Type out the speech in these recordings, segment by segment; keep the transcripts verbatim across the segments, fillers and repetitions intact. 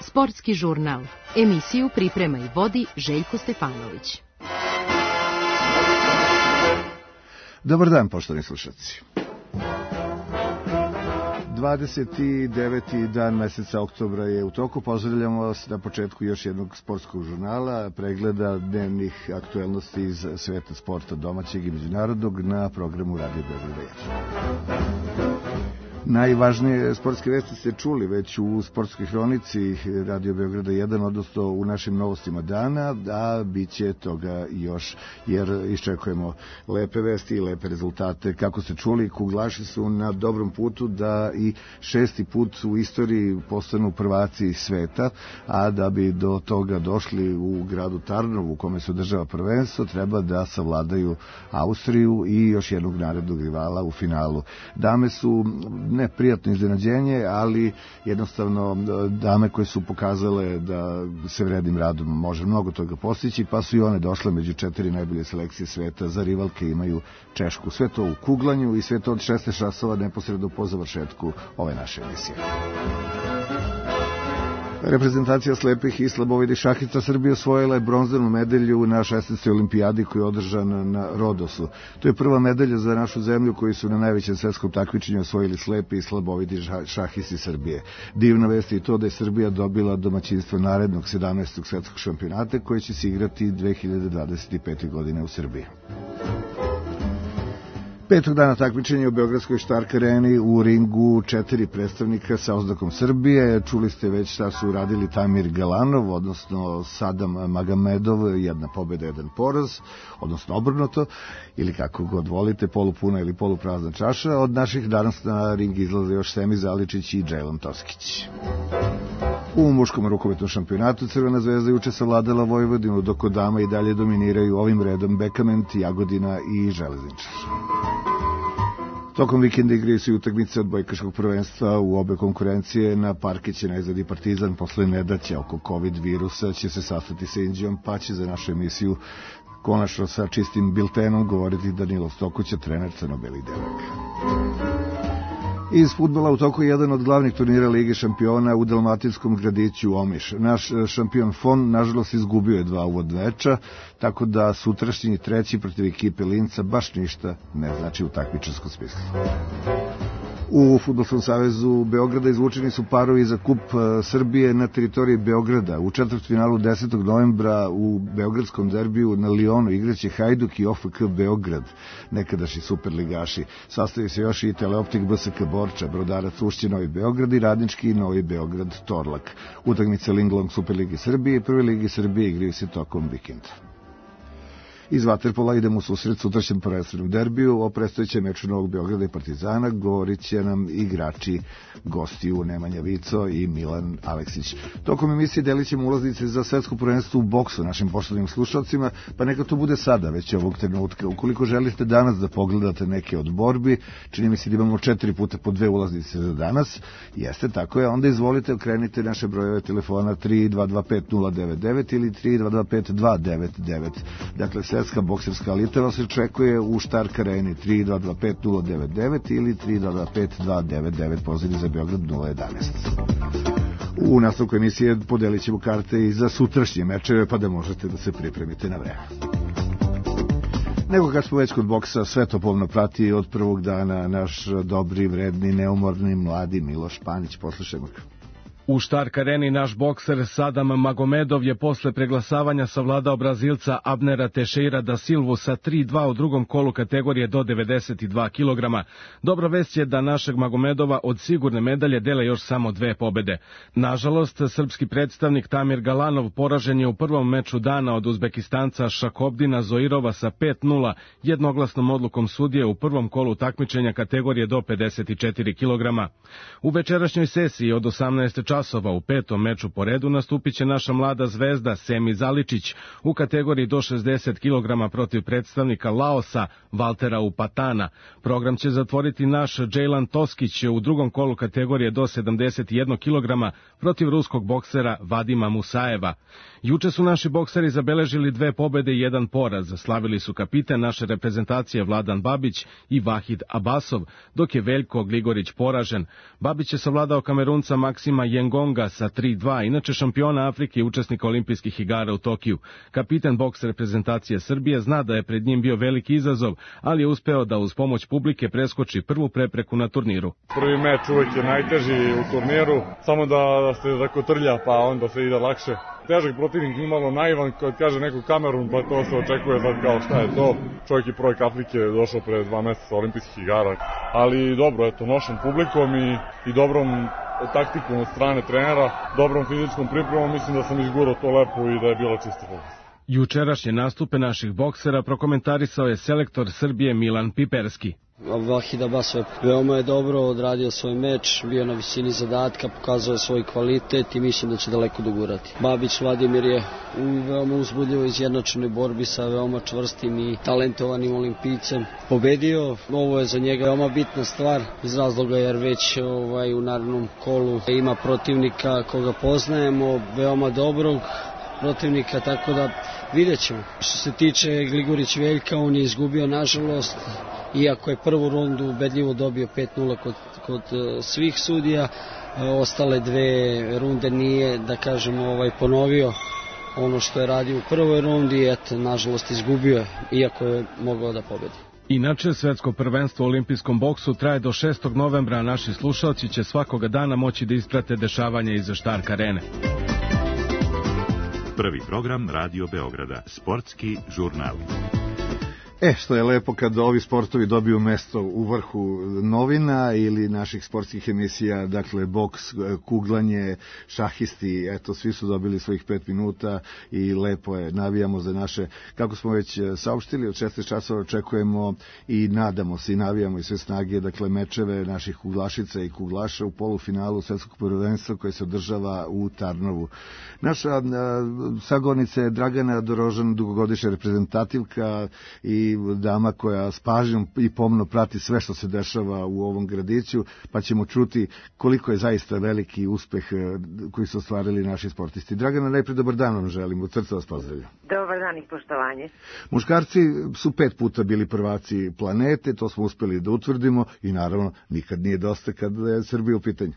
Sportski žurnal. Emisiju priprema i vodi Željko Stefanović. Dobar dan, poštovani slušalci. dvadeset deveti dan meseca oktobra je u toku. Pozdravljamo vas na početku još jednog sportskog žurnala, pregleda dnevnih aktuelnosti iz sveta sporta domaćeg i međunarodnog na programu Radio Beograd jedan. Najvažnije sportske vesti ste čuli već u sportskoj hronici Radio Beograda jedan, odnosno u našim novostima dana, a bit će toga još, jer iščekujemo lepe vesti i lepe rezultate. Kako ste čuli, kuglaši su na dobrom putu da i šesti put u istoriji postanu prvaci sveta, a da bi do toga došli u gradu Tarnovu, u kome se održava prvenstvo, treba da savladaju Austriju i još jednog narednog rivala u finalu. Dame su ne prijatno iznenađenje, ali jednostavno dame koje su pokazale da se vrednim radom može mnogo toga postići, pa su i one došle među četiri najbolje selekcije sveta. Za rivalke imaju Češku. Sve to u kuglanju i sve to od šesnaest časova neposredno po završetku ove naše emisije. Reprezentacija slepih i slabovidih šahica Srbije osvojila je bronzanu medalju na šesnaestoj olimpijadi koja je održana na Rodosu. To je prva medalja za našu zemlju koju su na najvećem svetskom takmičenju osvojili slepi i slabovidi šahisti Srbije. Divna vest je i to da je Srbija dobila domaćinstvo narednog sedamnaestog svetskog šampionata koji će se igrati dve hiljade dvadeset pete. godine u Srbiji. Petog dana takmičenja u Beogradskoj Štark areni u ringu četiri predstavnika sa oznakom Srbije. Čuli ste već šta su uradili Tamir Galanov, odnosno Sadam Magomedov, jedna pobjeda, jedan poraz, odnosno obrnuto, ili kako god volite, polupuna ili poluprazna čaša. Od naših danas na ring izlaze još Semi Zaličić i Džejlon Toskić. U muškom rukometnom šampionatu Crvena zvezda juče savladala Vojvodinu, dok od dama i dalje dominiraju ovim redom Bekament, Jagodina i Železničar. Tokom vikenda igraju se i utakmice odbojkaškog prvenstva u obe konkurencije. Na parke će najzad i Partizan posle nedaća oko COVID virusa će se sastati sa Indijom, pa će za našu emisiju konačno sa čistim biltenom govoriti Danilo Stokuća, trener crno-belih devojaka. Iz fudbala u toku je jedan od glavnih turnira Lige šampiona u dalmatinskom gradiću Omiš. Naš šampion Fon, nažalost, izgubio je dva uvodna meča, tako da sutrašnji treći protiv ekipe Linca baš ništa ne znači u takmičarskom smislu. U Fudbalskom savezu Beograda izvučeni su parovi za kup Srbije na teritoriji Beograda. U četvrtfinalu desetog novembra u beogradskom derbiju na Lionu igraće Hajduk i O F K Beograd, nekadašnji superligaši. Sastoji se još i Teleoptik B S K Borča, Brodarac Ušće Novi Beograd i Radnički Novi Beograd Torlak. Utakmice Linglong Superligi Srbije i Prve Ligi Srbije igraju se tokom vikenda. Iz vaterpola idemo u susret sutrašnjem prvenstvenom derbiju. O predstojećem meču Novog Beograda i Partizana govorit će nam igrači gostiju Nemanja Vico i Milan Aleksić. Tokom emisije delit ćemo ulaznice za svetsko prvenstvo u boksu našim poštovanim slušalcima, pa neka to bude sada već ovog trenutka. Ukoliko želite danas da pogledate neke od borbi, čini mi se da imamo četiri puta po dve ulaznice za danas, jeste tako je, onda izvolite, okrenite naše brojeve telefona tri dva dva pet nula devet devet ili tri dva dva pet dva devet devet. Dakle, svetska bokserska elita vas očekuje u Štark areni tri dva dva pet nula devet devet ili tri dva dva pet dva devet devet, pozivni za Beograd nula jedanaest. U nastavku emisije podelit ćemo karte i za sutrašnje mečeve, pa da možete da se pripremite na vreme. Nego kad smo već kod boksa, sve to pomno prati od prvog dana naš dobri, vredni, neumorni, mladi Miloš Panić. Poslušajmo ga. U Štark areni naš bokser Sadam Magomedov je posle preglasavanja savladao Brazilca Abnera Teixeira da Silvu sa tri dva u drugom kolu kategorije do devedeset dva kilograma. Dobra vest je da našeg Magomedova od sigurne medalje dele još samo dve pobede. Nažalost, srpski predstavnik Tamir Galanov poražen je u prvom meču dana od Uzbekistanca Šakobdina Zoirova sa pet nula jednoglasnom odlukom sudije u prvom kolu takmičenja kategorije do pedeset četiri kilograma. U večerašnjoj sesiji od osamnaest časova časova u petom meču po redu nastupit će naša mlada zvezda Semi Zaličić u kategoriji do šezdeset kilograma protiv predstavnika Laosa Valtera Upatana. Program će zatvoriti naš Džejlan Toskić u drugom kolu kategorije do sedamdeset jedan kilograma protiv ruskog boksera Vadima Musajeva. Juče su naši bokseri zabeležili dve pobede i jedan poraz. Slavili su kapiten naše reprezentacije Vladan Babić i Vahid Abasov, dok je Veljko Gligorić poražen. Babić je savladao Kamerunca Maksima Yengonga sa tri dva, inače šampiona Afrike i učesnika olimpijskih igara u Tokiju. Kapiten boks reprezentacije Srbije zna da je pred njim bio veliki izazov, ali je uspeo da uz pomoć publike preskoči prvu prepreku na turniru. Prvi meč uvek je najteži u turniru, samo da se zakotrlja pa onda se ide lakše. Težak protivnik, nimalo naivan, kad kaže neko Kamerun, pa to se očekuje sad kao šta je to. Čovjek je prvak Afrike, došao pre dva meseca olimpijskih igara. Ali dobro, eto, nošen publikom i, i dobrom taktikom od strane trenera, dobrom fizičkom pripremom, mislim da sam izgurao to lepo i da je bilo čisto fokus. Jučerašnje nastupe naših boksera prokomentarisao je selektor Srbije Milan Piperski. Vahid Abasov veoma je dobro odradio svoj meč, bio na visini zadatka, pokazao je svoj kvalitet i mislim da će daleko dogurati. Babić Vladimir je u veoma uzbudljivo izjednačenoj borbi sa veoma čvrstim i talentovanim olimpijcem pobedio. Ovo je za njega veoma bitna stvar iz razloga jer već ovaj, u narednom kolu ima protivnika koga poznajemo, veoma dobrog protivnika, tako da vidjet ćemo. Što se tiče Gligorić Veljka, on je izgubio nažalost, iako je prvu rundu ubedljivo dobio pet nula kod, kod svih sudija, ostale dve runde nije, da kažemo, ovaj, ponovio ono što je radio u prvoj rundi, eto, nažalost izgubio je, iako je mogao da pobedi. Inače, svetsko prvenstvo u olimpijskom boksu traje do šestog novembra, a naši slušalci će svakoga dana moći da isprate dešavanja iza Štark arene. Prvi program Radio Beograda, sportski žurnal. E, što je lepo kad ovi sportovi dobiju mesto u vrhu novina ili naših sportskih emisija, dakle boks, kuglanje, šahisti, eto, svi su dobili svojih pet minuta i lepo je, navijamo za naše, kako smo već saopštili, od šesnaest časova očekujemo i nadamo se i navijamo i sve snage, dakle mečeve naših kuglašica i kuglaša u polufinalu svetskog prvenstva koje se održava u Tarnovu. Naša a, sagovornica je Dragana Dorožan, dugogodišnja reprezentativka i dama koja s pažnjom i pomno prati sve što se dešava u ovom gradiću, pa ćemo čuti koliko je zaista veliki uspeh koji su ostvarili naši sportisti. Dragana, najpre dobar dan vam želim, od srca vas pozdravljam. Dobar dan i poštovanje. Muškarci su pet puta bili prvaci planete, to smo uspeli da utvrdimo i naravno nikad nije dosta kad je Srbija u pitanju.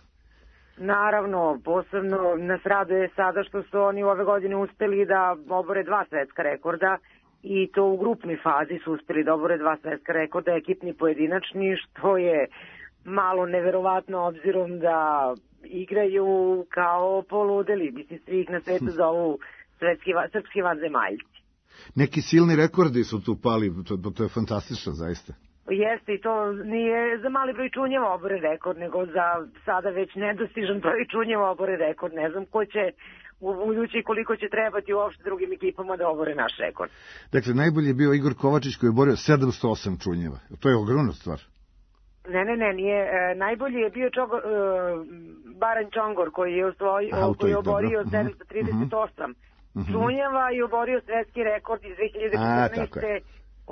Naravno, posebno nas raduje sada što su oni ove godine uspeli da obore dva svetska rekorda, i to u grupnoj fazi su uspeli da obore dva svetska rekorda, ekipni pojedinačni, što je malo neverovatno obzirom da igraju kao poludeli, mislim svi ih na svetu zovu svetski, srpski vanzemaljci. Neki silni rekordi su tu pali, to, to je fantastično zaista. Jeste, i to nije za mali broj čunjeva obore rekord, nego za sada već nedostižan broj čunjeva obore rekord. Ne znam ko će u budući koliko će trebati uopšte drugim ekipama da obore naš rekord. Dakle, najbolji je bio Igor Kovačić koji je borio sedamsto osam čunjeva. To je ogromna stvar. Ne, ne, ne, nije. E, najbolji je bio Čogor, e, Baran Čongor koji je, osvoj, Aha, koji je oborio dobro. sedamsto trideset osam uh-huh. čunjeva i oborio svetski rekord iz dve hiljade četrnaeste.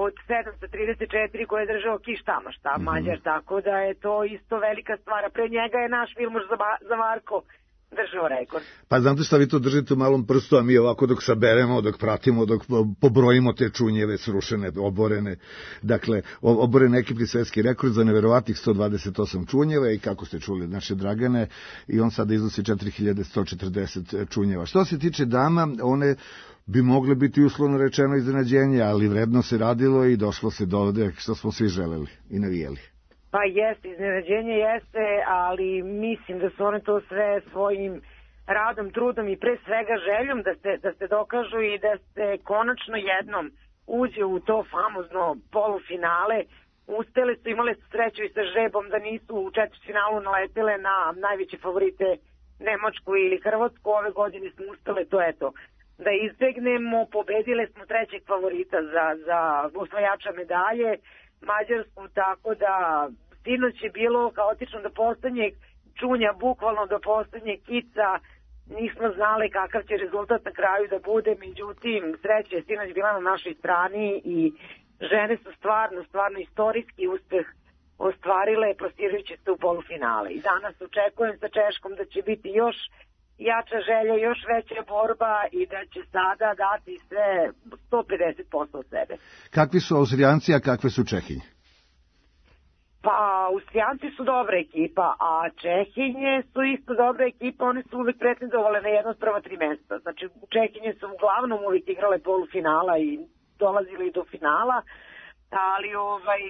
Od sedamsto trideset četiri koje je držao Kiš Tamaš, ta uh-huh. Mađar, tako da je to isto velika stvar. Pre njega je naš Vilmoš Zavarko držao rekord. Pa znate šta, vi to držite u malom prstu, a mi ovako dok saberemo, dok pratimo, dok pobrojimo te čunjeve srušene, oborene, dakle, oboren ekipni svetski rekord za neverovatnih sto dvadeset osam čunjeva i kako ste čuli naše Dragane, i on sada iznosi četiri hiljade sto četrdeset čunjeva. Što se tiče dama, one bi mogle biti uslovno rečeno iznenađenje, ali vredno se radilo i došlo se do ovde što smo svi želeli i navijeli. Pa jeste, iznenađenje jeste, ali mislim da su one to sve svojim radom, trudom i pre svega željom da se, da se dokažu i da se konačno jednom uđe u to famozno polufinale. Uspele su, imale su sreću i sa žrebom da nisu u četvrtfinalu naletele na najveće favorite Nemačku ili Hrvatsku. Ove godine smo uspele to, eto, da izbegnemo. Pobedile smo trećeg favorita za, za osvajača medalje, Mađarsku, tako da sinoć je bilo kaotično do poslednjeg čunja bukvalno do poslednjeg kica. Nismo znali kakav će rezultat na kraju da bude, međutim sreća je sinoć bila na našoj strani i žene su stvarno, stvarno istorijski uspeh ostvarile plasirajući se u polufinale. I danas očekujem sa Češkom da će biti još jača želja, još veća borba i da će sada dati sve sto pedeset posto od sebe. Kakvi su Austrijanci, a kakve su Čehinje? Pa, Austrijanci su dobra ekipa, a Čehinje su isto dobra ekipa, one su uvek pretendovale na jedno od prva tri mesta. Znači, Čehinje su uglavnom uvek igrale polufinala i dolazili do finala, ali ovaj,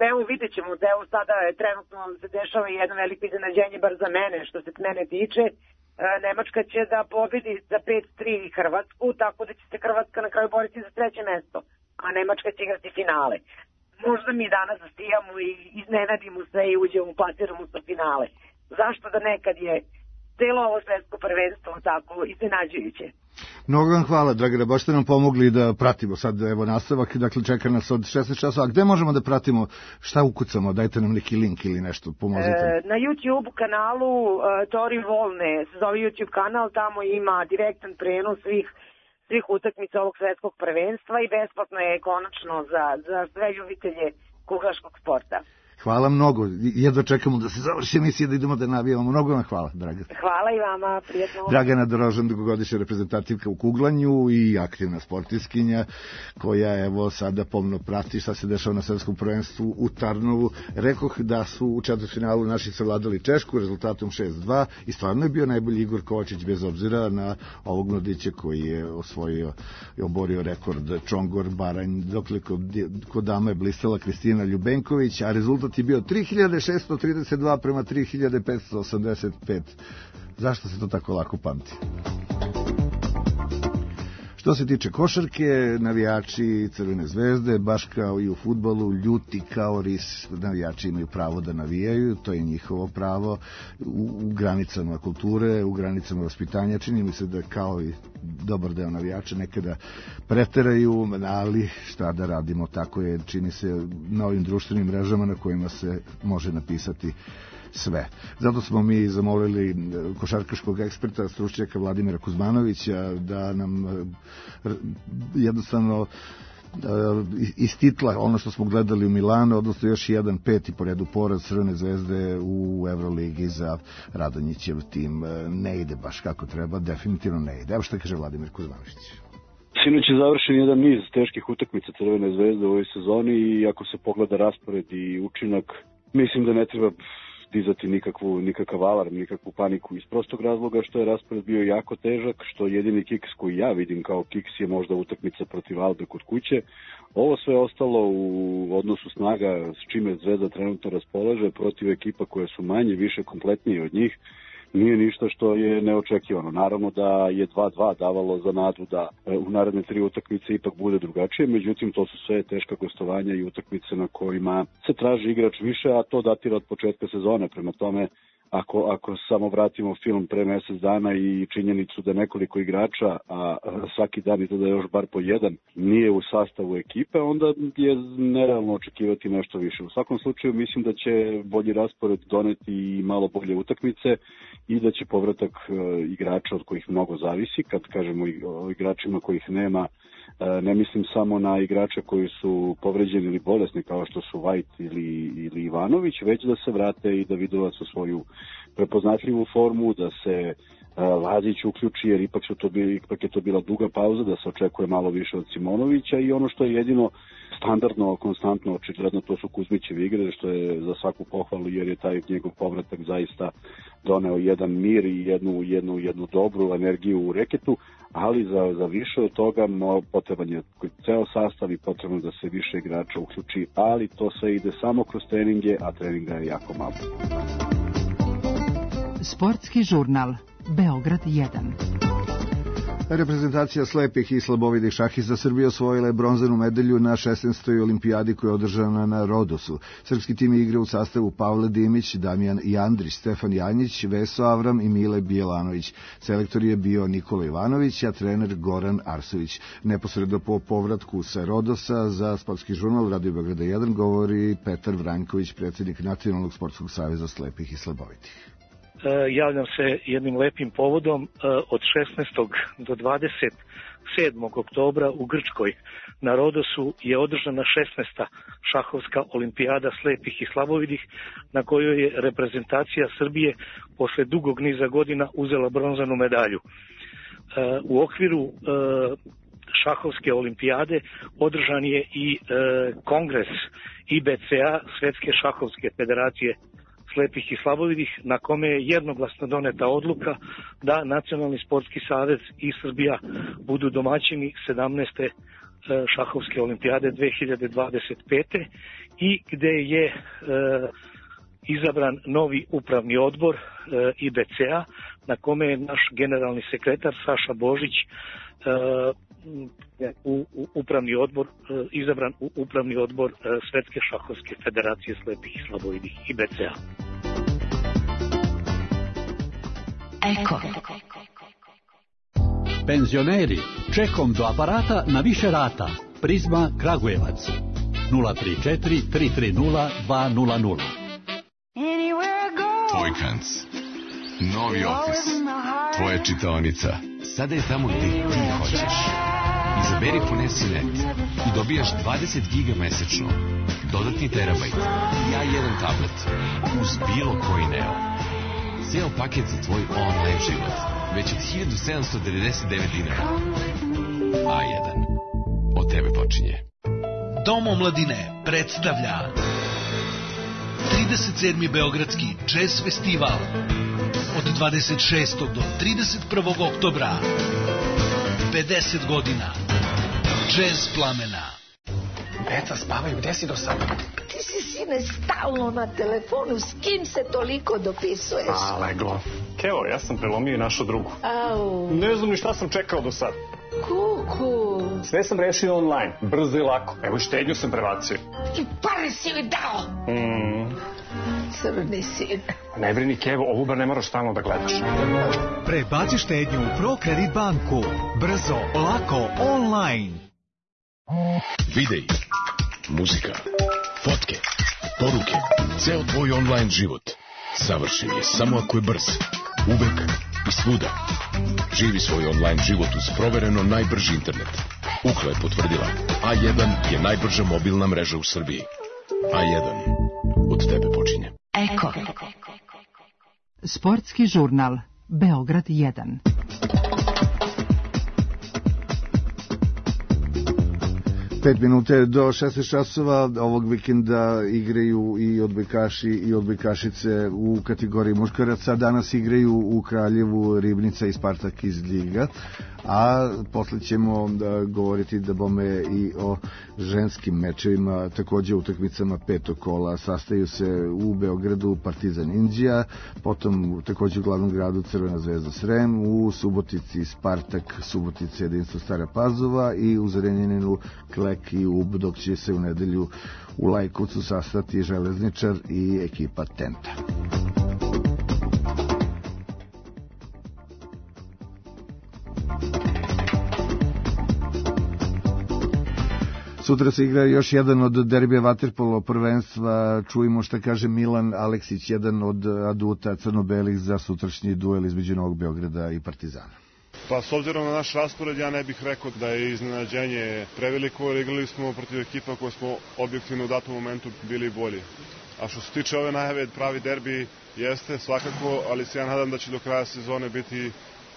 evo vidjet ćemo da evo sada trenutno se dešava jedno veliko iznenađenje, bar za mene, što se mene tiče. Nemačka će da pobedi za pet tri Hrvatsku, tako da će se Hrvatska na kraju boriti za treće mesto, a Nemačka će igrati finale. Možda mi danas zasijamo i iznenadimo se i uđemo, plasiramo sa finale. Zašto da nekad je celo ovo svetsko prvenstvo tako iznenađujuće? Mnogo vam hvala, Dragana, baš ste nam pomogli da pratimo sad, evo, nastavak, dakle, čeka nas od šesnaest časova. A gde možemo da pratimo, šta ukucamo, dajte nam neki link ili nešto, pomozite. E, na YouTube kanalu uh, Tori Volne, se zove YouTube kanal, tamo ima direktan prenos svih svih utakmica ovog svetskog prvenstva i besplatno je konačno za, za sve ljubitelje kuglaškog sporta. Hvala mnogo. Jedva čekamo da se završi emisija, da idemo da navijamo. Mnogo vam hvala, Dragana. Hvala i vama, prijetno. Dragana Dorožan, dugogodišnja reprezentativka u kuglanju i aktivna sportiskinja, koja evo sada pomno prati šta se dešava na svetskom prvenstvu u Tarnovu. Rekoh da su u četvrtfinalu naši savladali Češku rezultatom šest dva i stvarno je bio najbolji Igor Kovačić, bez obzira na ovog mladića koji je osvojio i oborio rekord Čongor Baranj, dokle kod, kod dama je blistala Kristina Ljubenković, a rezultat je bio tri hiljade šessto trideset dva prema tri hiljade petsto osamdeset pet. Zašto se to tako lako pamti? Što se tiče košarke, navijači Crvene zvezde, baš kao i u fudbalu, ljuti kao ris. Navijači imaju pravo da navijaju, to je njihovo pravo u, u granicama kulture, u granicama vaspitanja. Čini mi se da kao i dobar deo navijača nekada preteraju, ali šta da radimo, tako je, čini se na ovim društvenim mrežama na kojima se može napisati sve. Zato smo mi zamolili košarkaškog eksperta, stručnjaka Vladimira Kuzmanovića da nam jednostavno iz titla ono što smo gledali u Milanu, odnosno još jedan peti po redu poraz Crvene zvezde u Evroligi za Radonjićev tim ne ide baš kako treba, definitivno ne ide. Evo što kaže Vladimir Kuzmanović. Sinoć je završen jedan niz teških utakmica Crvene zvezde u ovoj sezoni i ako se pogleda raspored i učinak, mislim da ne treba dizati nikakvu, nikakav alarm, nikakvu paniku iz prostog razloga što je raspored bio jako težak, što jedini kiks koji ja vidim kao kiks je možda utakmica protiv Albe kod kuće. Ovo sve ostalo u odnosu snaga s čime Zvezda trenutno raspolaže protiv ekipa koje su manje, više kompletnije od njih, nije ništa što je neočekivano. Naravno da je dva dva davalo za nadu da u naredne tri utakmice ipak bude drugačije, međutim to su sve teška gostovanja i utakmice na kojima se traži igrač više, a to datira od početka sezone. Prema tome, ako, ako samo vratimo film pre mesec dana i činjenicu da nekoliko igrača, a svaki dan i to da je još bar po jedan, nije u sastavu ekipe, onda je nerealno očekivati nešto više. U svakom slučaju mislim da će bolji raspored doneti i malo bolje utakmice i da će povratak igrača od kojih mnogo zavisi. Kad kažemo o igračima kojih nema, ne mislim samo na igrače koji su povređeni ili bolesni kao što su White ili, ili Ivanović, već da se vrate i da Vidovac u svoju prepoznatljivu formu, da se Lazić uključi, jer ipak, su to bili, ipak je to bila duga pauza, da se očekuje malo više od Simonovića i ono što je jedino standardno, konstantno, očigledno, to su Kuzmićevi igre, što je za svaku pohvalu, jer je taj njegov povratak zaista doneo jedan mir i jednu, jednu, jednu dobru energiju u reketu, ali za, za više od toga potreban je ceo sastav i potrebno da se više igrača uključi, ali to sve ide samo kroz treninge, a treninga je jako malo. Sportski žurnal Beograd jedan. Reprezentacija slepih i slabovidih šahista Srbije osvojila je bronzanu medalju na šesnaestoj olimpijadi koja je održana na Rodosu. Srpski tim igra u sastavu Pavle Dimić, Damjan Jandrić, Stefan Janjić, Veso Avram i Mile Bijelanović. Selektor je bio Nikola Ivanović, a trener Goran Arsović. Neposredno po povratku sa Rodosa za Sportski žurnal Radio Beograda jedan govori Petar Vranković, predsjednik Nacionalnog sportskog saveza slepih i slabovidih. javljam se jednim lepim povodom. Od šesnaestog do dvadeset sedmog oktobra u Grčkoj na Rodosu je održana šesnaesta šahovska olimpijada slepih i slabovidih, na kojoj je reprezentacija Srbije posle dugog niza godina uzela bronzanu medalju. U okviru šahovske olimpijade održan je i kongres I B C A, Svetske šahovske federacije slepih i slabovidih, na kome je jednoglasno doneta odluka da Nacionalni sportski savez i Srbija budu domaćini sedamnaeste šahovske olimpijade dve hiljade dvadeset pete i gde je e, izabran novi upravni odbor e, I B C A, na kome je naš generalni sekretar Saša Božić e, u, u upravni odbor, e, izabran u upravni odbor e, Svetske šahovske federacije slepih i slabovidih I B C A. Eko. Penzioneri, čekom do aparata na više rata. Prizma Kragujevac. nula tri četiri tri tri nula dva nula nula. Vojkanc. Novi ofis. Tvoja čitaonica. Sada je tamo gde ti hoćeš. Izaberi Ponesi.net i dobijaš dvadeset giga mesečno. Dodatni terabajt. I A jedan tablet. Uz bilo koji Neo. Ceo paket za tvoj online život. Već od hiljadu sedamsto devedeset devet dinara. A jedan. Od tebe počinje. Dom omladine predstavlja trideset sedmi Beogradski jazz festival od dvadeset šestog do trideset prvog oktobra. pedeset godina Jazz plamena. Deca spavaju, gde si do sada? Ti si, sine, stalno na telefonu, s kim se toliko dopisuješ? A, leglo. Evo, ja sam prelomio i našu drugu. Au. Ne znam ni šta sam čekao do sad. Kuku. Sve sam rešio online, brzo i lako. Evo, štednju sam prebacio. I pare si joj dao. Mm. Crni sin. Ne brini, Kevo, ovu bar ne moraš stalno da gledaš. Prebaci štednju u ProCredit banku. Brzo, lako, online. Videi, muzika, fotke, poruke, ceo tvoj online život savršen je samo ako je brz, uvek i svuda. Živi svoj online život uz provereno najbrži internet. Ukla je potvrdila, A jedan je najbrža mobilna mreža u Srbiji. A jedan, od tebe počinje. Eko. Sportski žurnal Beograd jedan. Pet minute do šesnaest časova. Ovog vikenda igraju i odbojkaši i odbojkašice u kategoriji muškaraca. Danas igraju u Kraljevu Ribnica i Spartak iz Ljiga, a posle ćemo da govoriti da bome i o ženskim mečevima, takođe utakmicama petog kola. Sastaju se u Beogradu Partizan Inđija, potom takođe u glavnom gradu Crvena zvezda Srem, u Subotici Spartak Subotica Jedinstvo Stara Pazova i u Zrenjaninu Klek i Ub, dok će se u nedelju u Lajkovcu sastati Železničar i ekipa Tenta. Sutra se igra još jedan od derbija vaterpolo prvenstva. Čujemo šta kaže Milan Aleksić, jedan od aduta crno-belih za sutrašnji duel između Novog Beograda i Partizana. Pa s obzirom na naš raspored, ja ne bih rekao da je iznenađenje preveliko, jer igrali smo protiv ekipa koje smo objektivno u datom momentu bili bolji. A što se tiče ove najave, pravi derbi jeste svakako, ali se ja nadam da će do kraja sezone biti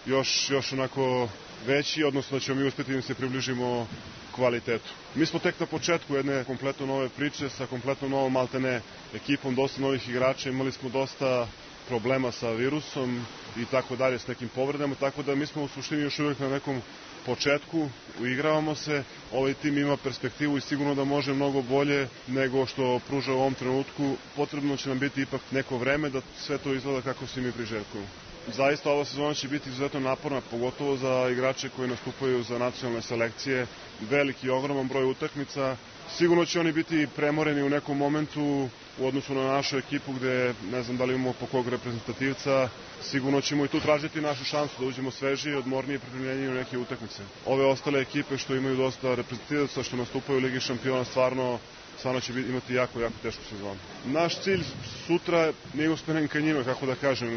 još, još onako veći, odnosno da ćemo mi uspjeti da se približimo kvalitetu. Mi smo tek na početku jedne kompletno nove priče sa kompletno novom maltene ekipom, dosta novih igrača, imali smo dosta problema sa virusom i tako dalje, s nekim povredama, tako da mi smo u suštini još uvijek na nekom početku, uigravamo se, ovaj tim ima perspektivu i sigurno da može mnogo bolje nego što pruža u ovom trenutku. Potrebno će nam biti ipak neko vreme da sve to izgleda kako se mi priželjkujemo. Zaista ova sezona će biti izuzetno naporna, pogotovo za igrače koji nastupaju za nacionalne selekcije. Veliki i ogroman broj utakmica. Sigurno će oni biti premoreni u nekom momentu u odnosu na našu ekipu gde ne znam da li imamo po kog reprezentativca. Sigurno ćemo i tu tražiti našu šansu da uđemo svežiji, odmorniji i pripremljeniji u neke utakmice. Ove ostale ekipe što imaju dosta reprezentativaca, što nastupaju u Ligi šampiona, stvarno stvarno će imati jako, jako tešku sezonu. Naš cilj sutra nije usmeren ka njima, kako da kažem.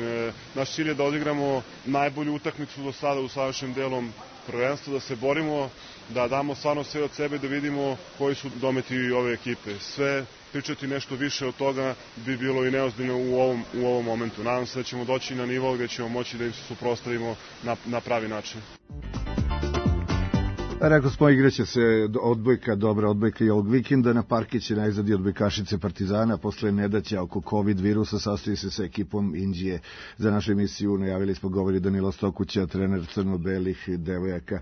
Naš cilj je da odigramo najbolju utakmicu do sada u savršenim delom prvenstva, da se borimo, da damo stvarno sve od sebe, da vidimo koji su dometi ove ekipe. Sve pričati nešto više od toga bi bilo i neozbiljno u ovom, u ovom momentu. Nadam se da ćemo doći na nivo gde ćemo moći da im se suprotstavimo na, na pravi način. Rekao smo, igraće se odbojka, dobra odbojka i ovog vikenda. Na parke će najzad i odbojkašice Partizana. Posle nedaća oko COVID virusa sastoji se sa ekipom Indije. Za našu emisiju najavili smo, govori Danilo Stokuća, trener crno-belih devojaka.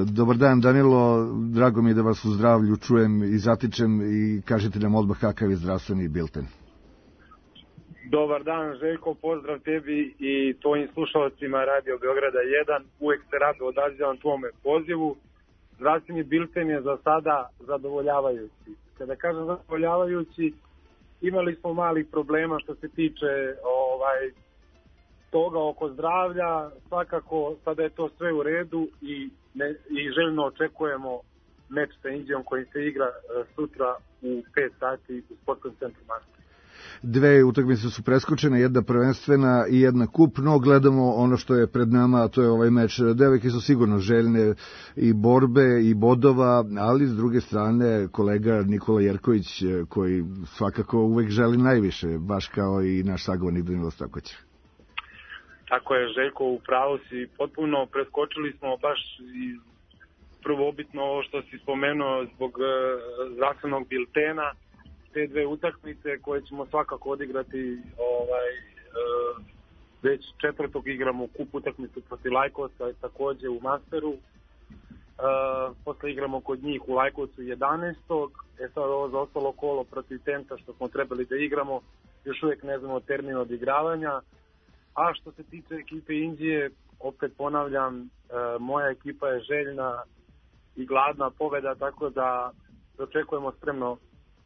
Dobar dan, Danilo, drago mi je da vas u zdravlju čujem i zatičem i kažete nam odmah kakav je zdravstveni bilten. Dobar dan, Željko, pozdrav tebi i tvojim slušalcima Radio Beograda jedan. Uvek se rado odazivam tvome pozivu. Zdravstveni bilten je za sada zadovoljavajući. Kada kažem zadovoljavajući, imali smo malih problema što se tiče ovaj, toga oko zdravlja. Svakako sada je to sve u redu i, ne, i željno očekujemo meč sa Indijom koji se igra sutra u pet sati u sportskom centru Marko. Dve utakmice su preskočene, jedna prvenstvena i jedna kup, no gledamo ono što je pred nama, a to je ovaj meč. Devojke su sigurno željne i borbe i bodova, ali s druge strane kolega Nikola Jerković, koji svakako uvek želi najviše, baš kao i naš sagovornik Danilo Stokuć. Tako je, Željko, u pravu si, potpuno preskočili smo baš i prvobitno ovo što si spomenuo zbog zdravstvenog biltena, te dve utakmice koje ćemo svakako odigrati ovaj, e, već četvrtog igramo kup utakmicu protiv Lajkosa takođe u Masteru. E, posle igramo kod njih u Lajkovcu jedanaestog E sad ovo za ostalo kolo protiv Tenta što smo trebali da igramo, još uvijek ne znamo termin odigravanja. A što se tiče ekipe Indije, opet ponavljam, e, moja ekipa je željna i gladna pobeda, tako da očekujemo spremno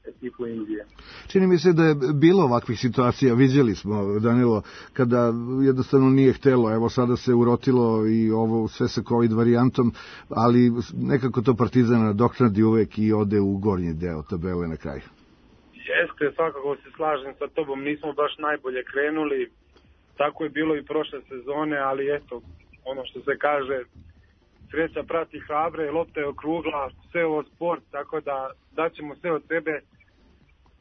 ekipu Indije. Čini mi se da je bilo ovakvih situacija, vidjeli smo, Danilo, kada jednostavno nije htelo, evo sada se urotilo i ovo sve sa COVID varijantom, ali nekako to Partizan nadoknadi uvek i ode u gornji deo tabele na kraju. Jeste, svakako se slažem sa tobom, nismo baš najbolje krenuli, tako je bilo i prošle sezone, ali eto, ono što se kaže, sreća prati hrabre, lopta je okrugla, sve ovo sport, tako da daćemo sve od sebe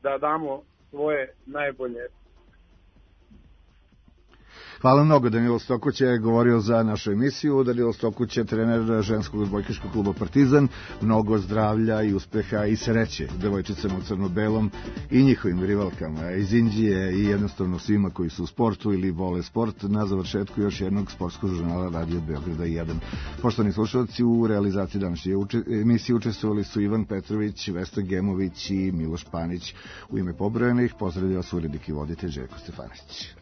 da damo svoje najbolje. Hvala mnogo. Danilo Stokuć je govorio za našu emisiju. Danilo Stokuć je trener ženskog odbojkaškog kluba Partizan. Mnogo zdravlja i uspeha i sreće devojčicama u crno-belom i njihovim rivalkama iz Indije i jednostavno svima koji su u sportu ili vole sport na završetku još jednog sportskog žurnala Radio Beograda jedan. Poštovani slušalci, u realizaciji današnje emisije učestvovali su Ivan Petrović, Vesna Gemović i Miloš Panić. U ime pobrojenih pozdravlja vas urednik i voditelj Željko Stefanović.